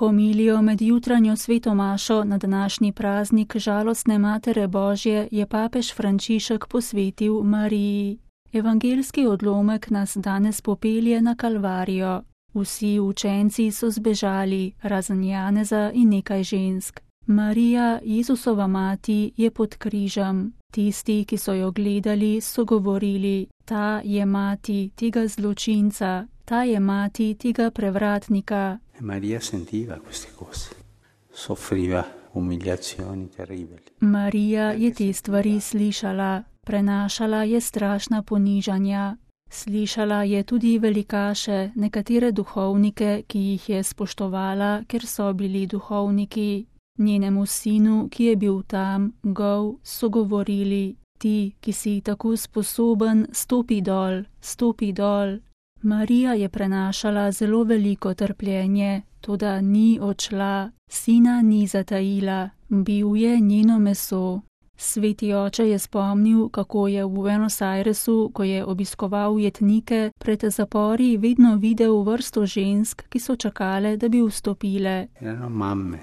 homilijo med jutranjo svetomašo na današnji praznik žalostne Matere Božje je papež Frančišek posvetil Mariji. Evangeljski odlomek nas danes popelje na Kalvarijo. Vsi učenci so zbežali, razen Janeza in nekaj žensk. Marija, Jezusova mati, je pod križem. Tisti, ki so jo gledali, so govorili: ta je mati tega zločinca, ta je mati tega prevratnika. Marija sentiva queste cose, soffriva umiliazioni terribili. Marija je te stvari slišala, prenašala je strašna ponižanja. Slišala je tudi velikaše, nekatere duhovnike, ki jih je spoštovala, ker so bili duhovniki. Njenemu sinu, ki je bil tam, gol, so govorili: ti, ki si tako sposoben, stopi dol, stopi dol. Marija je prenašala zelo veliko trpljenje, toda ni odšla, sina ni zatajila, bil je njeno meso. Sveti oče je spomnil, kako je v Buenos Airesu, ko je obiskoval jetnike, pred zapori vedno videl vrsto žensk, ki so čakale, da bi vstopile. Erano mamme,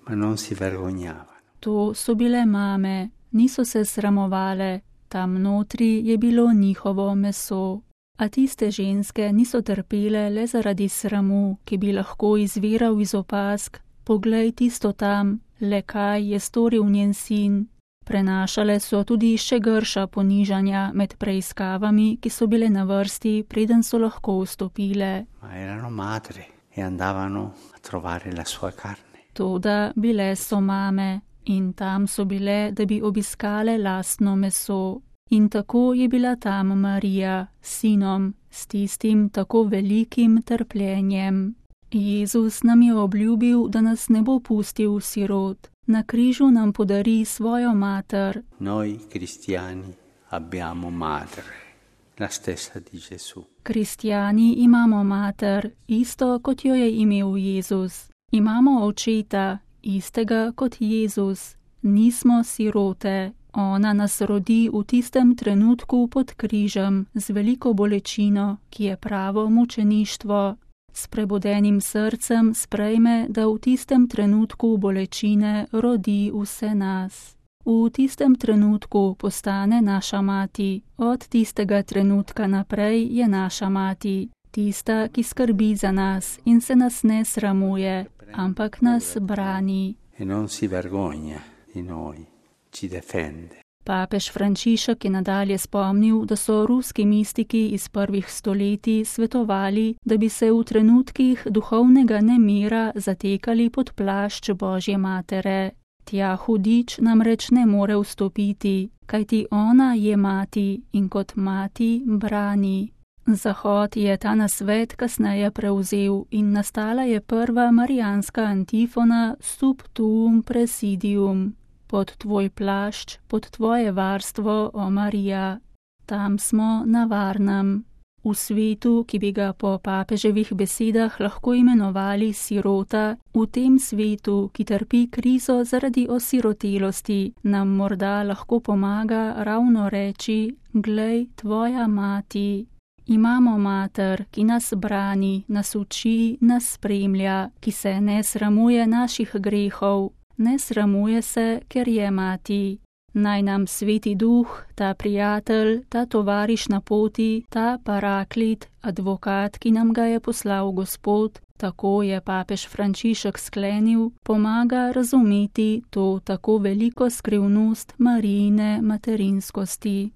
ma non si vergognavano. To so bile mame, niso se sramovale, tam notri je bilo njihovo meso. A tiste ženske niso trpele le zaradi sramu, ki bi lahko izviral iz opazk: poglej tisto tam, le kaj je storil njen sin. Prenašale so tudi še grša ponižanja med preiskavami, ki so bile na vrsti, preden so lahko vstopile. Ma erano madre e andavano a trovare la sua carne. Toda bile so mame in tam so bile, da bi obiskale lastno meso. In tako je bila tam Marija s sinom, s tistim tako velikim trpljenjem. Jezus nam je obljubil, da nas ne bo pustil sirot. Na križu nam podari svojo mater. Noi cristiani abbiamo madre, la stessa di Gesù. Kristjani imamo mater, isto kot jo je imel Jezus. Imamo očeta, istega kot Jezus. Nismo sirote. Ona nas rodi v tistem trenutku pod križem z veliko bolečino, ki je pravo mučeništvo. S prebudenim srcem sprejme, da v tistem trenutku bolečine rodi vse nas. V tistem trenutku postane naša mati. Od tistega trenutka naprej je naša mati. Tista, ki skrbi za nas in se nas ne sramuje, ampak nas brani. E non si vergogna di noi. Ci difende. Papež Frančišek je nadalje spomnil, da so ruski mistiki iz prvih stoletij svetovali, da bi se v trenutkih duhovnega nemira zatekali pod plašč Božje matere. Tja hudič namreč ne more vstopiti, kajti ona je mati in kot mati brani. Zahod je ta nasvet kasneje prevzel in nastala je prva marijanska antifona Sub tuum presidium. Pod tvoj plašč, pod tvoje varstvo, o Marija. Tam smo na varnem. V svetu, ki bi ga po papeževih besedah lahko imenovali sirota, v tem svetu, ki trpi krizo zaradi osirotelosti, nam morda lahko pomaga ravno reči: glej, tvoja mati. Imamo mater, ki nas brani, nas uči, nas spremlja, ki se ne sramuje naših grehov. Ne sramuje se, ker je mati. Naj nam Sveti Duh, ta prijatelj, ta tovariš na poti, ta paraklit, advokat, ki nam ga je poslal Gospod, tako je papež Frančišek sklenil, pomaga razumeti to tako veliko skrivnost Marijine materinskosti.